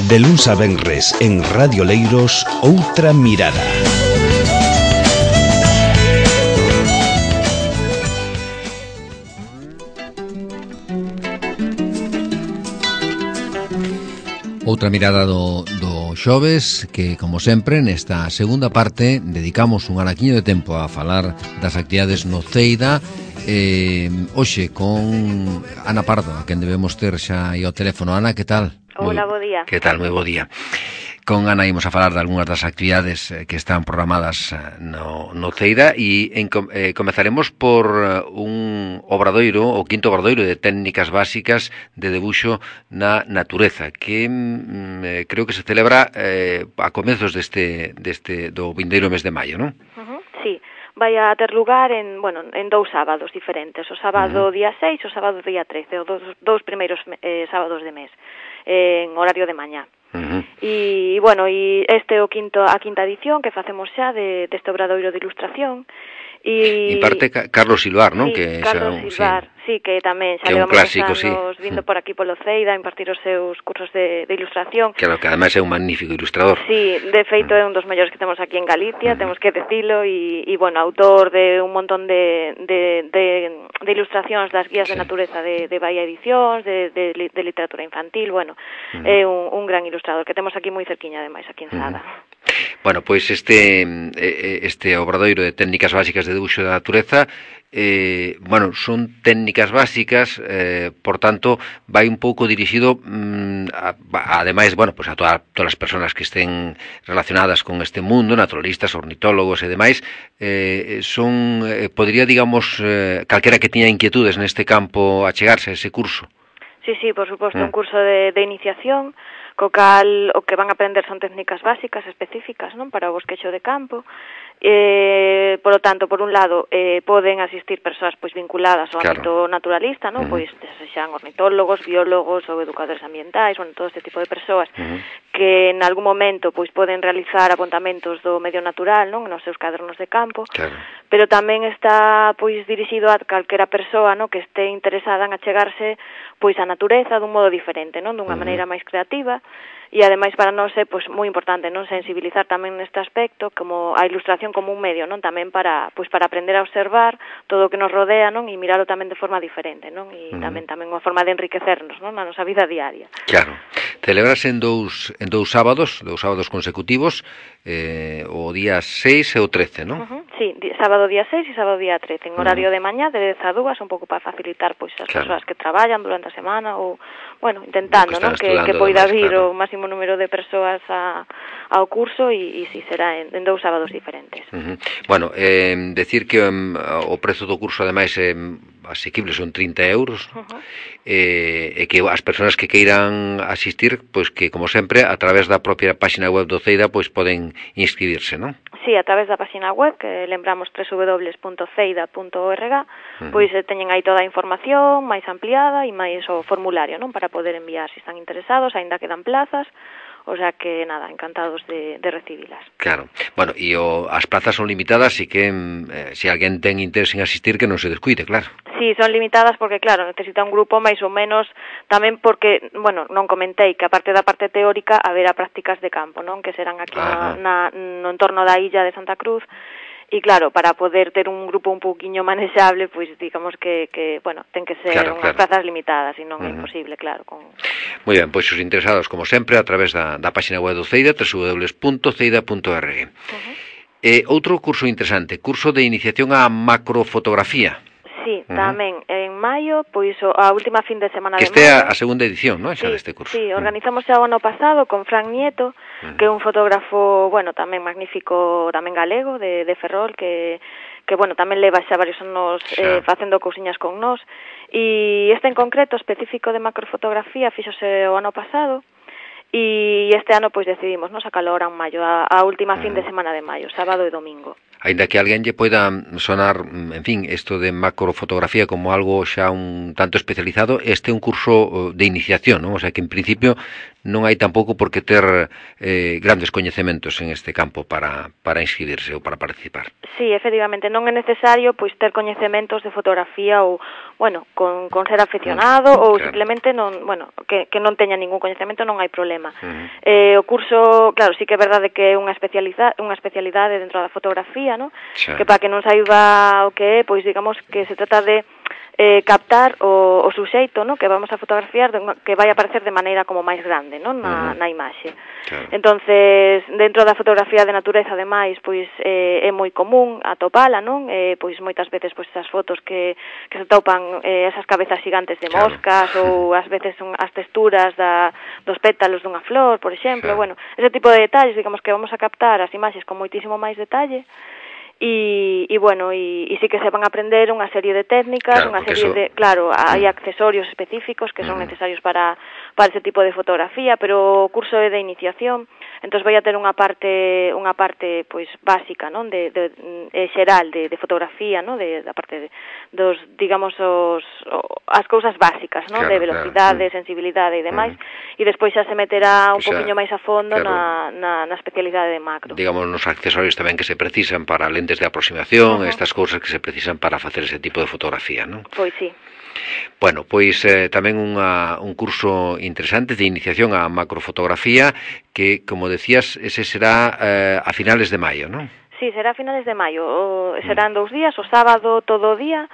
De luns a venres en Radio Leiros, Outra Mirada. Outra mirada do xoves, que, como sempre, nesta segunda parte dedicamos un araquiño de tempo a falar das actividades no Ceida. Hoxe con Ana Pardo, a quen debemos ter xa aí ao teléfono. Ana, que tal? Hola, bo día. Que tal? Moi bo día. Con Ana imos a falar de algunhas das actividades que están programadas no Ceida e comezaremos por un obradoiro, o quinto obradoiro de técnicas básicas de debuxo na natureza, que creo que se celebra a comezos do vindeiro mes de maio, non? Sí, vai a ter lugar en dous sábados diferentes, o sábado día 6 e o sábado día 13, os dous primeiros sábados de mes, en horario de mañá. E este é a quinta edición que facemos xa deste obradoiro de ilustración. En parte Carlos Silvar, non? Sí, Que Carlos Silvar, sí, que tamén xa levamos anos vindo por aquí polo Ceida a impartir os seus cursos de ilustración. Claro, que ademais é un magnífico ilustrador. Sí, de feito é un dos mellores que temos aquí en Galicia, temos que decilo, e autor de un montón de ilustracións das guías de natureza de Bahía Edicións, de literatura infantil, é un gran ilustrador que temos aquí moi cerquiña, ademais, aquí en Sada. Bueno, pois este obradoiro de técnicas básicas de debuxo da natureza, son técnicas básicas, por tanto, vai un pouco dirixido ademais, a todas as persoas que estén relacionadas con este mundo, naturalistas, ornitólogos e demais, podría, digamos, calquera que tiña inquietudes neste campo achegarse a ese curso. Sí, por suposto, un curso de iniciación, co cal o que van a aprender son técnicas básicas específicas, non, para o bosquexo de campo. Por lo tanto, por un lado, poden asistir persoas pois vinculadas ao ámbito naturalista, non, pois sexan ornitólogos, biólogos ou educadores ambientais, todo este tipo de persoas que en algún momento pois poden realizar apontamentos do medio natural, non, nos seus cadernos de campo. Claro. Pero tamén está pois dirixido a calquera persoa, non, que este interesada en achegarse pois a natureza dun modo diferente, non, dunha maneira máis creativa. E ademais para nós é pois moi importante, non, sensibilizar tamén neste aspecto como a ilustración como un medio, non, tamén para aprender a observar todo o que nos rodea, non, e miralo tamén de forma diferente, non, e tamén unha forma de enriquecernos, non, na nosa vida diaria. Claro. Celebrase en dous sábados consecutivos, o día 6 e o 13, non? Sí, sábado día 6 e sábado día 13, en horario de mañá, de 10 a 2, un pouco para facilitar pois as persoas que traballan durante a semana ou, intentando, non, que poida vir o máximo número de persoas ao curso e si será en dous sábados diferentes. Decir que o prezo do curso ademais é asequible, son 30 euros, e que as persoas que queiran asistir, pois que, como sempre, a través da propia página web do Ceida, pois poden inscribirse, non? Sí, a través da página web, que lembramos www.ceida.org, pois teñen aí toda a información máis ampliada e máis o formulario, non, para poder enviar se están interesados, aínda quedan plazas. O sea que, nada, encantados de recibilas. Claro. E as plazas son limitadas e que se alguén ten interés en asistir que non se descuide, claro. Sí, son limitadas porque, claro, necesita un grupo máis ou menos, tamén porque, non comentei que aparte da parte teórica haberá prácticas de campo, non, que serán aquí no entorno da illa de Santa Cruz. E claro, para poder ter un grupo un pouquiño manexable, pois digamos que ten que ser unhas plazas limitadas e non é imposible, claro. Moi ben, pois os interesados, como sempre, a través da página web do Ceida, www.ceida.org. Outro curso interesante, curso de iniciación á macrofotografía. Sí, tamén en maio, pois a última fin de semana de maio. Este é a segunda edición, non, xa deste curso. Sí, organizamos xa o ano pasado con Fran Nieto, que é un fotógrafo, tamén magnífico, tamén galego, de Ferrol, que tamén leva xa varios anos facendo cousiñas con nós. E este en concreto, específico de macrofotografía, fíxose o ano pasado, e este ano pois decidimos sacalo ahora en maio, a última fin de semana de maio, sábado e domingo. Aínda que alguén lle poida sonar, en fin, isto de macrofotografía como algo xa un tanto especializado, este é un curso de iniciación, non? O sea que en principio non hai tampouco por que ter grandes coñecementos en este campo para inscribirse ou para participar. Sí, efectivamente, non é necesario pois ter coñecementos de fotografía ou, bueno, con ser aficionado ou simplemente non, bueno, que non teña ningún coñecemento non hai problema. O curso, claro, sí que é verdade que é unha especialidade dentro da fotografía, ¿no? Que para que non saiba o que é, pois digamos que se trata de captar o suxeito, ¿no? Que vamos a fotografiar, que vai aparecer de maneira como máis grande, ¿no? Na imaxe. Entonces, dentro da fotografía de natureza, ademais, pois é moi común atopala, non? Pois moitas veces pois esas fotos que se topan esas cabezas gigantes de moscas ou ás veces son as texturas dos pétalos dunha flor, por exemplo, bueno, ese tipo de detalles, digamos que vamos a captar as imaxes con moitísimo máis detalle. E bueno, e sí que se van a aprender unha serie de técnicas, unha serie de, claro, hai accesorios específicos que son necesarios para ese tipo de fotografía, pero o curso é de iniciación, entón vai a ter unha parte pois básica, non, de xeral de fotografía, non, da parte dos, digamos, as cousas básicas, non, de velocidade, sensibilidade e demais, e despois xa se meterá un poquinho máis a fondo na especialidade de macro. Digamos, nos accesorios tamén que se precisan para lentes de aproximación, estas cousas que se precisan para facer ese tipo de fotografía, non? Pois sí. Bueno, pois tamén un curso interesante de iniciación á macrofotografía que, como decías, ese será a finales de maio, non? Sí, será a finales de maio. Serán 2 días, o sábado todo o día,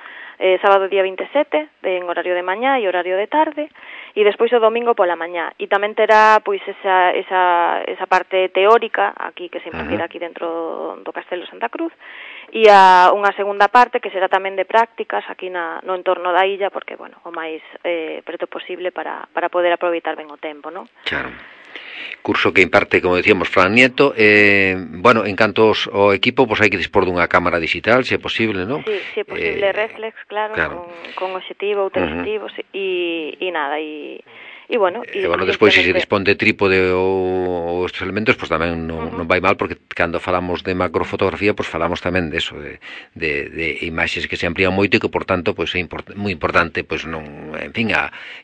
sábado día 27, en horario de mañá e horario de tarde, e despois o domingo pola mañá. E tamén terá pois esa parte teórica aquí que se impartirá aquí dentro do Castelo Santa Cruz, e unha segunda parte que será tamén de prácticas aquí no entorno da illa, porque, bueno, o máis preto posible para poder aproveitar ben o tempo, non? Claro. Curso que imparte, como decíamos, Fran Nieto. Bueno, en canto ao equipo, pois hai que dispor dunha cámara digital, se é posible, non? Sí, se é posible, reflex, claro. Con obxectivo ou teleobxectivos, e nada, e bueno, despois se dispón de trípode ou estes elementos, pois tamén non vai mal, porque cando falamos de macrofotografía, pois falamos tamén de eso, de imaxes que se amplían moito e que, por tanto, pois é moi importante, pois non, en fin,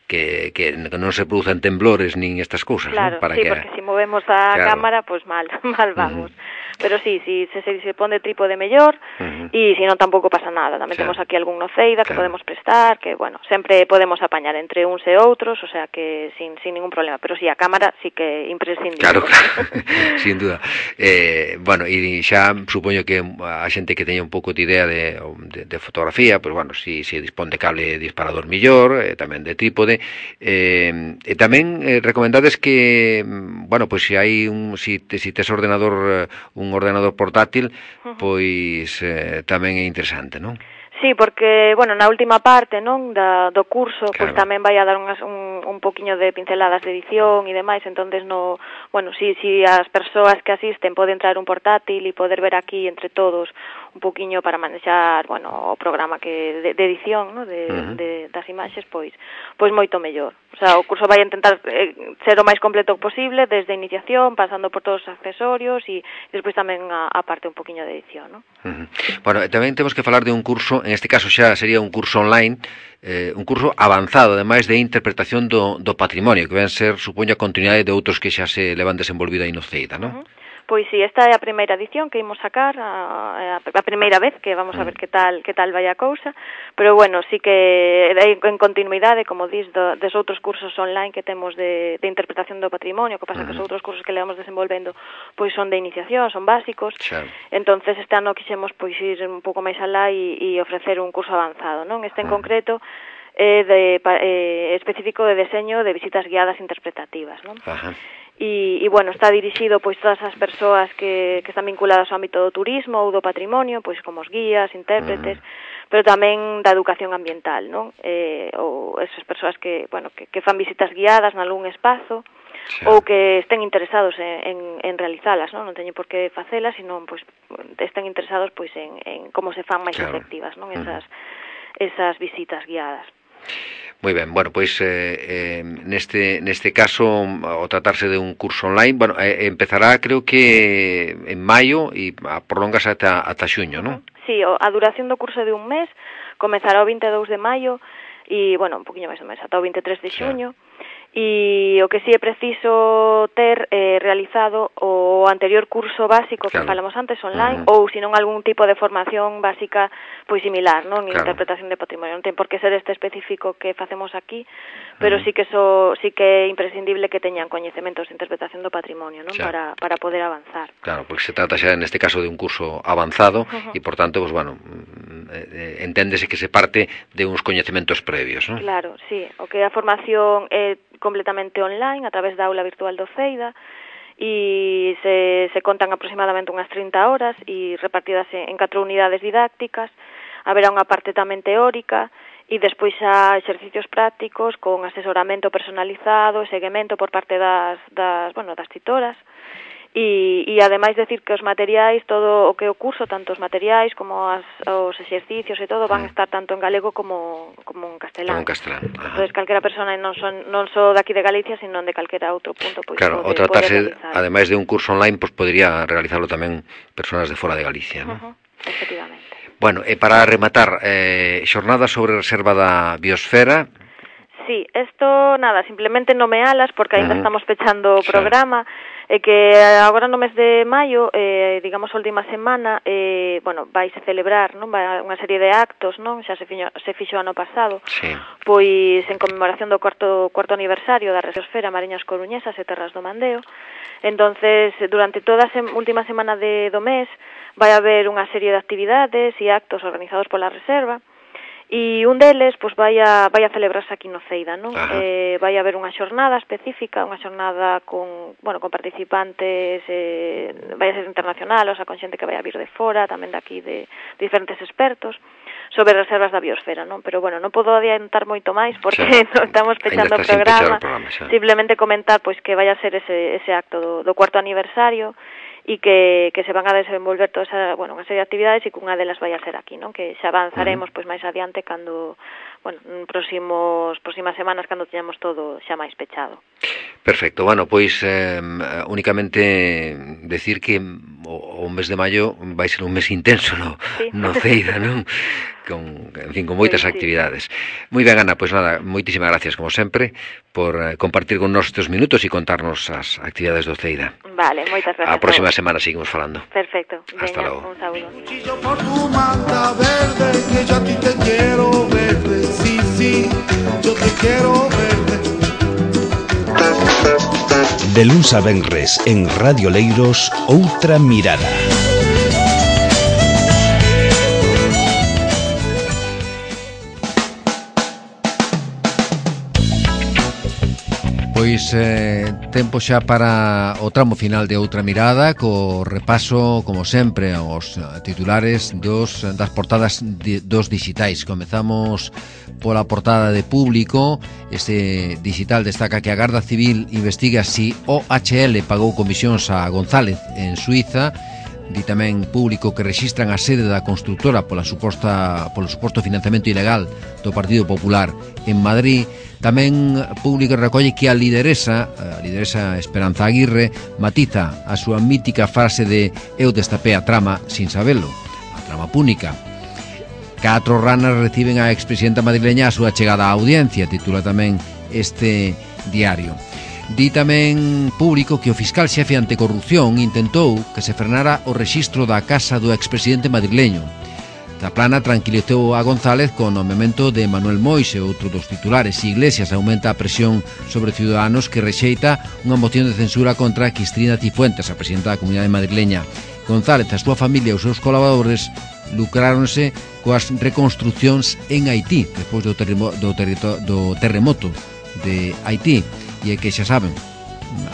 que non se produzan temblores nin estas cousas, claro, non? Para sí, porque se movemos a cámara, pois mal vamos. Pero sí, se pon de trípode mellor, e se non tampouco pasa nada. Tamén temos aquí algún noceida que podemos prestar, que, bueno, sempre podemos apañar entre uns e outros, o sea que sin ningún problema. Pero sí, a cámara sí que é imprescindible. Claro, sin duda. Bueno, e xa supoño que a xente que teña un pouco de idea de fotografía, pois, bueno, si dispón de cable disparador millor, tamén de trípode, e tamén recomendades que, bueno, pois se hai si tes ordenador, un ordenador portátil, pois tamén é interesante, non? Sí, porque, bueno, na última parte, non, do curso, pois tamén vai a dar un poquiño de pinceladas de edición e demais, entonces bueno, si as persoas que asisten poden traer un portátil e poder ver aquí entre todos un poquiño para manexar, bueno, o programa de edición, no, das imaxes, pois moito mellor. O sea, o curso vai a intentar ser o máis completo posible, desde a iniciación, pasando por todos os accesorios e despois tamén a parte un poquiño de edición, non? Bueno, tamén temos que falar de un curso, en este caso xa sería un curso online, un curso avanzado, ademais de interpretación do patrimonio, que ven ser, supoño, a continuidade de outros que xa se levan desenvolvido aí no CEIDA, non? Pois sí, esta é a primeira edición que imos sacar, a primeira vez que vamos a ver que tal vai a cousa, pero bueno, sí que en continuidade, como dis, dos outros cursos online que temos de interpretación do patrimonio, que pasa que os outros cursos que levamos desenvolvendo pois son de iniciación, son básicos, entonces este ano quixemos pois ir un pouco máis alá e ofrecer un curso avanzado, non? Este en concreto específico de deseño de visitas guiadas interpretativas, non? E bueno, está dirixido pois todas as persoas que están vinculadas ao ámbito do turismo ou do patrimonio, pois como os guías, intérpretes, pero tamén da educación ambiental, non? Ou esas persoas que, bueno, que fan visitas guiadas nalgún espazo, ou que estén interesados en realizalas, non teñen por que facelas, sino pois estén interesados pois en como se fan máis efectivas, non? Esas visitas guiadas. Moi ben, bueno, pois neste caso, ao tratarse de un curso online, bueno, empezará creo que en maio e prolongase ata xuño, non? Sí, a duración do curso é de un mes, comezará o 22 de maio e, bueno, un poquinho máis do mes, ata o 23 de xuño. E o que sí é preciso ter realizado o anterior curso básico que falamos antes online, ou senón algún tipo de formación básica pois similar, non? Interpretación de patrimonio, non ten por que ser este específico que facemos aquí, pero sí que é imprescindible que teñan coñecementos de interpretación do patrimonio, non? Para poder avanzar. Claro, porque se trata xa neste caso de un curso avanzado e por tanto, pues bueno, enténdese que se parte de uns coñecementos previos, non? Claro, sí, o que a formación é completamente online a través da aula virtual do CEIDA e se contan aproximadamente unhas 30 horas e repartidas en 4 unidades didácticas. Haberá unha parte tamén teórica e despois xa exercicios prácticos con asesoramento personalizado e seguimento por parte das titoras. E ademais decir que os materiais, todo o que o curso, tanto os materiais como os exercicios e todo van a estar tanto en galego como en castelán. Entonces, calquera persona non só daqui de Galicia, sino de calquera outro punto, pois claro, o tratarse, ademais de un curso online, pois podría realizarlo tamén personas de fora de Galicia, non? Efectivamente. Bueno, e para rematar, xornada sobre reserva da biosfera. Sí, esto, nada, simplemente nomealas porque ainda estamos pechando o programa. E que agora no mes de maio, digamos, a última semana, vaise celebrar, non? Vai unha serie de actos, non? Xa se fixo ano pasado, pois en conmemoración do cuarto aniversario da Biosfera Mariñas Coruñesas e Terras do Mandeo. Entonces, durante toda a última semana do mes, vai haber unha serie de actividades e actos organizados pola Reserva. E un deles pois vai a celebrarse aquí no CEIDA, non? Vai haber unha xornada específica, unha xornada con participantes, vai a ser internacional, o sea, con xente que vai a vir de fora, tamén daqui de diferentes expertos, sobre reservas da biosfera, non? Pero, non podo adiantar moito máis porque non estamos pechando o programa, simplemente comentar pois que vai a ser ese acto do cuarto aniversario, e que se van a desenvolver toda esa, unha serie de actividades e que unha delas vai a ser aquí, non? Que xa avanzaremos pois máis adiante cando, próximas semanas cando teñamos todo xa máis pechado. Perfecto, pois únicamente decir que o mes de maio vai ser un mes intenso no CEIDA, non? Con moitas actividades. Moi ben, Ana, pois nada, moitísimas gracias como sempre por compartir con nós estes minutos e contarnos as actividades do CEIDA. Vale, moitas gracias. A próxima semana seguimos falando. Perfecto. Hasta logo. Un saúdo. De luns a venres en Radio Leiros, Outra Mirada. Pois tempo xa para o tramo final de Outra Mirada, co repaso, como sempre, aos titulares das portadas dos digitais. Comezamos pola portada de Público. Este digital destaca que a Garda Civil investiga si OHL pagou comisións a González en Suiza. Di tamén Público que rexistran a sede da constructora polo suposto financiamento ilegal do Partido Popular en Madrid. Tamén Público recolle que a lideresa Esperanza Aguirre matiza a súa mítica frase de "eu destapé a trama sin sabelo", a trama púnica. 4 ranas reciben a expresidenta madrileña a súa chegada á audiencia, titula tamén este diario. Di tamén Público que o fiscal xefe anticorrupción intentou que se frenara o rexistro da casa do expresidente madrileño. Zaplana tranquilizou a González con o nomeamento de Manuel Moise, outro dos titulares. Iglesias aumenta a presión sobre Ciudadanos que rexeita unha moción de censura contra Cristina Cifuentes, a presidenta da Comunidade Madrileña. González, a súa familia e os seus colaboradores lucráronse coas reconstruccións en Haití despois do terremoto de Haití. E é que xa saben,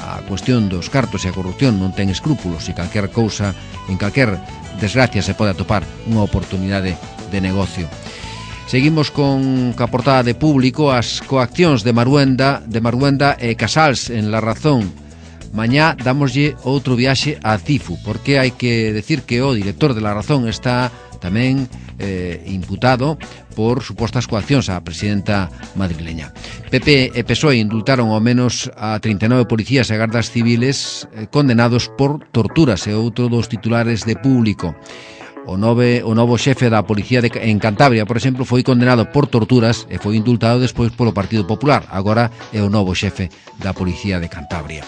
a cuestión dos cartos e a corrupción non ten escrúpulos e calquer cousa, en calquer desgracia se pode atopar unha oportunidade de negocio. Seguimos con a portada de Público, as coaccións de Maruenda e Casals en La Razón. Mañá damoslle outro viaxe a Cifu, porque hai que decir que o director de La Razón está tamén imputado por supostas coaccións á presidenta madrileña. PP e PSOE indultaron ao menos a 39 policías e gardas civiles condenados por torturas, e outro dos titulares de Público. O novo xefe da policía en Cantabria, por exemplo, foi condenado por torturas e foi indultado despois polo Partido Popular. Agora é o novo xefe da policía de Cantabria.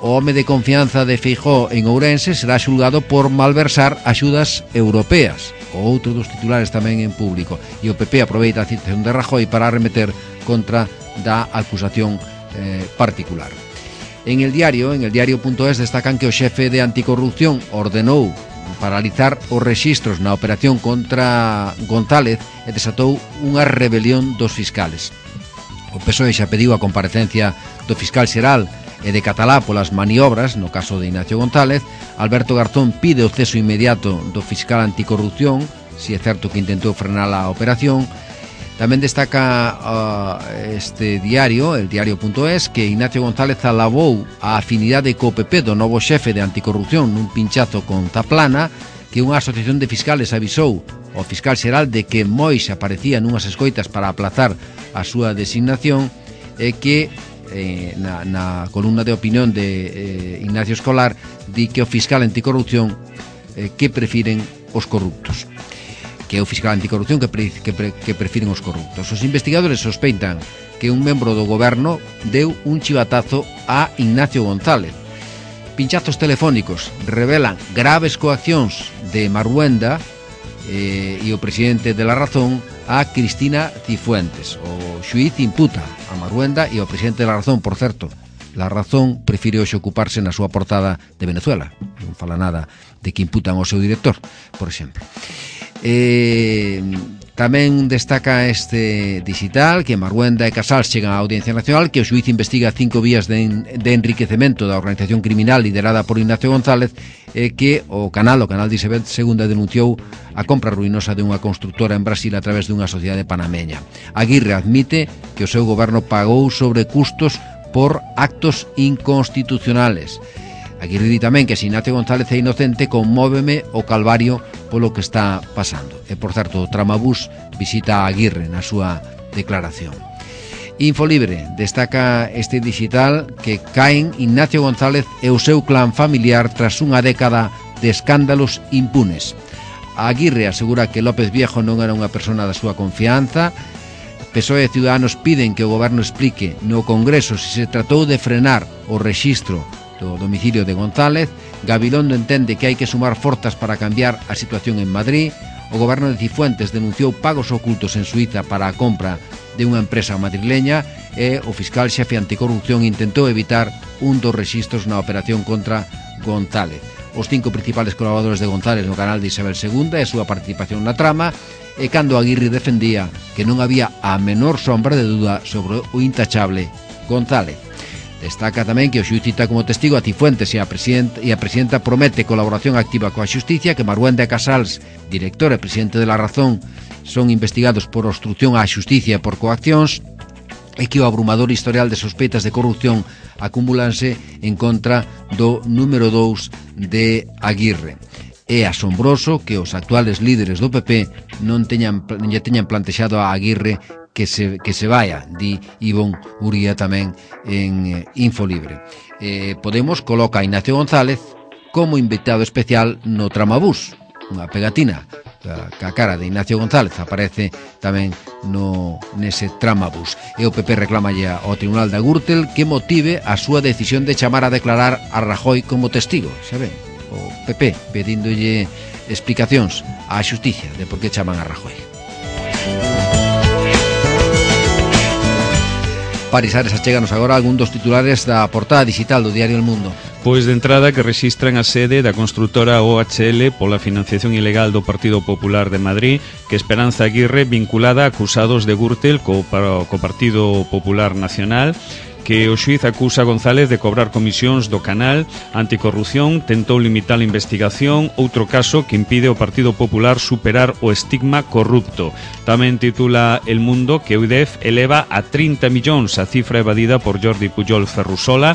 O home de confianza de Feijóo en Ourense será xulgado por malversar axudas europeas. O outro dos titulares tamén en Público. E o PP aproveita a citación de Rajoy para arremeter contra da acusación particular. En el diario.es destacan que o xefe de anticorrupción ordenou paralizar os rexistros na operación contra González e desatou unha rebelión dos fiscales. O PSOE xa pediu a comparecencia do fiscal xeral e de Catalá polas maniobras no caso de Ignacio González. Alberto Garzón pide o ceso inmediato do fiscal anticorrupción, si é certo que intentou frenar a operación. Tamén destaca este diario, el diario.es, que Ignacio González alabou a afinidade co PP do novo xefe de anticorrupción nun pinchazo con Zaplana, que unha asociación de fiscales avisou ao fiscal xeral de que moi se aparecía nunhas escoitas para aplazar a súa designación, e que na columna de opinión de Ignacio Escolar di que o fiscal anticorrupción que prefiren os corruptos, que é o fiscal anticorrupción que prefiren os corruptos. Os investigadores sospeitan que un membro do goberno deu un chivatazo a Ignacio González. Pinchazos telefónicos revelan graves coaccións de Marhuenda e o presidente de La Razón a Cristina Cifuentes. O xuíz imputa a Marhuenda e o presidente de La Razón, por certo. La Razón prefire hoxe ocuparse na súa portada de Venezuela. Non fala nada de que imputan ao seu director, por exemplo. Tamén destaca este digital que Marhuenda e Casals chegan á Audiencia Nacional, que o xuíz investiga 5 vías de enriquecemento da organización criminal liderada por Ignacio González, e que o canal de Isabel II denunciou a compra ruinosa de unha constructora en Brasil a través dunha sociedade panameña. Aguirre admite que o seu goberno pagou sobrecustos por actos inconstitucionales. Aguirre di tamén que se Ignacio González é inocente, conmóveme o calvario polo que está pasando. E, por certo, o Tramabús visita a Aguirre na súa declaración. Infolibre destaca este digital que caen Ignacio González e o seu clan familiar tras unha década de escándalos impunes. Aguirre asegura que López Viejo non era unha persona da súa confianza. PSOE e Ciudadanos piden que o goberno explique no Congreso se tratou de frenar o rexistro do domicilio de González. Gabilondo entende que hai que sumar forzas para cambiar a situación en Madrid. O goberno de Cifuentes denunciou pagos ocultos en Suiza para a compra de unha empresa madrileña, e o fiscal xefe anticorrupción intentou evitar un dos rexistros na operación contra González. Os 5 principales colaboradores de González no canal de Isabel II e a súa participación na trama, e cando Aguirre defendía que non había a menor sombra de duda sobre o intachable González. Destaca tamén que o xuíz cita como testigo a Cifuentes e a presidenta promete colaboración activa coa xusticia, que Marhuenda e Casals, director e presidente de La Razón, son investigados por obstrucción á xusticia e por coaccións, e que o abrumador historial de sospeitas de corrupción acumúlanse en contra do número 2 de Aguirre. É asombroso que os actuales líderes do PP non teñan plantexado a Aguirre que se vaya, di Ivón Uría tamén en Infolibre. Podemos coloca a Ignacio González como invitado especial no Tramabús, unha pegatina que a cara de Ignacio González aparece tamén nese Tramabús. E o PP reclamalle ao Tribunal da Gürtel que motive a súa decisión de chamar a declarar a Rajoy como testigo. Xa ven, o PP pedíndolle explicacións á xusticia de por que chaman a Rajoy. Parisares, achéganos agora algún dos titulares da portada digital do diario El Mundo. Pois de entrada que rexistran a sede da construtora OHL pola financiación ilegal do Partido Popular de Madrid, que Esperanza Aguirre vinculada a acusados de Gürtel co Partido Popular Nacional, que o xuíz acusa a González de cobrar comisións do canal anticorrupción, tentou limitar a investigación, outro caso que impide ao Partido Popular superar o estigma corrupto. Tamén titula El Mundo que UDEF eleva a 30 millóns a cifra evadida por Jordi Pujol Ferrusola,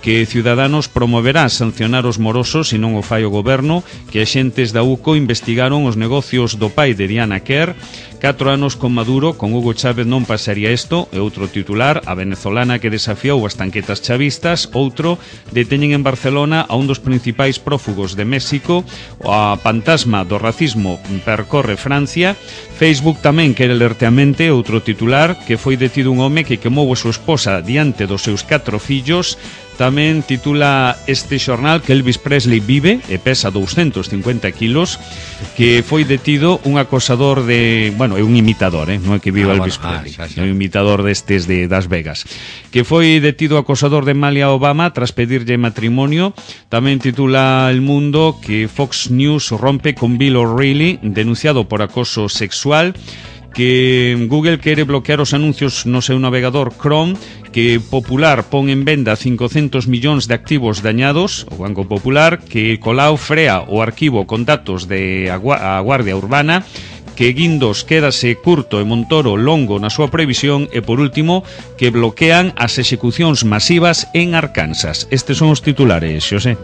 que Ciudadanos promoverá sancionar os morosos se non o fai o goberno, que axentes da UCO investigaron os negocios do pai de Diana Kerr. 4 anos con Maduro, con Hugo Chávez non pasaría isto. E outro titular, a venezolana que desafiou as tanquetas chavistas. Outro, deteñen en Barcelona a un dos principais prófugos de México. A fantasma do racismo percorre Francia. Facebook tamén quere lertear a mente. Outro titular, que foi detido un home que quemou a súa esposa diante dos seus 4 fillos. Tamén titula este xornal que Elvis Presley vive e pesa 250 kilos, que foi detido un acosador de... Bueno, é un imitador, non é que viva Elvis Presley, é un imitador destes de Las Vegas, que foi detido acosador de Malia Obama tras pedirlle matrimonio. Tamén titula El Mundo que Fox News rompe con Bill O'Reilly, denunciado por acoso sexual, que Google quere bloquear os anuncios no seu navegador Chrome, que Popular pon en venda 500 millóns de activos dañados, o Banco Popular, que Colau frea o arquivo con datos de a Guardia Urbana, que Guindos quédase curto e Montoro longo na súa previsión, e por último, que bloquean as execucións masivas en Arkansas. Estes son os titulares, Xosé.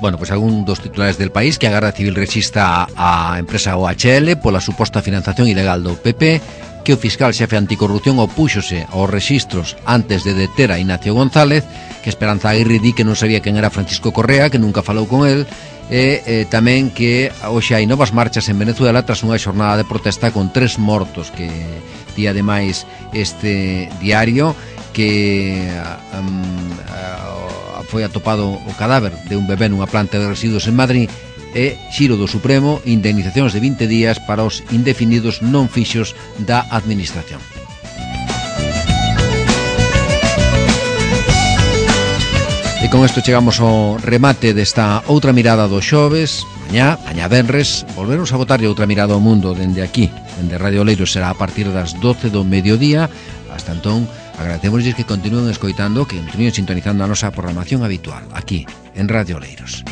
Bueno, pues algún dos titulares del País, que a Garda Civil rexistra a empresa OHL pola suposta financiación ilegal do PP, que o fiscal xefe anticorrupción opúxose aos rexistros antes de deter a Ignacio González, que Esperanza Aguirre di que non sabía quen era Francisco Correa, que nunca falou con él, e tamén que hoxe hai novas marchas en Venezuela tras unha xornada de protesta con 3 mortos, que di ademais este diario que foi atopado o cadáver de un bebé nunha planta de residuos en Madrid. E xiro do Supremo, indemnizacións de 20 días para os indefinidos non fixos da Administración. E con isto chegamos ao remate desta outra mirada do xoves. Mañá venres, volveremos a botarlle outra mirada ao mundo dende aquí, dende Radio Oleiros. Será a partir das 12 do mediodía. Hasta entón, agradecemosles que continúen escoitando, que continúen sintonizando a nosa programación habitual aquí, en Radio Oleiros.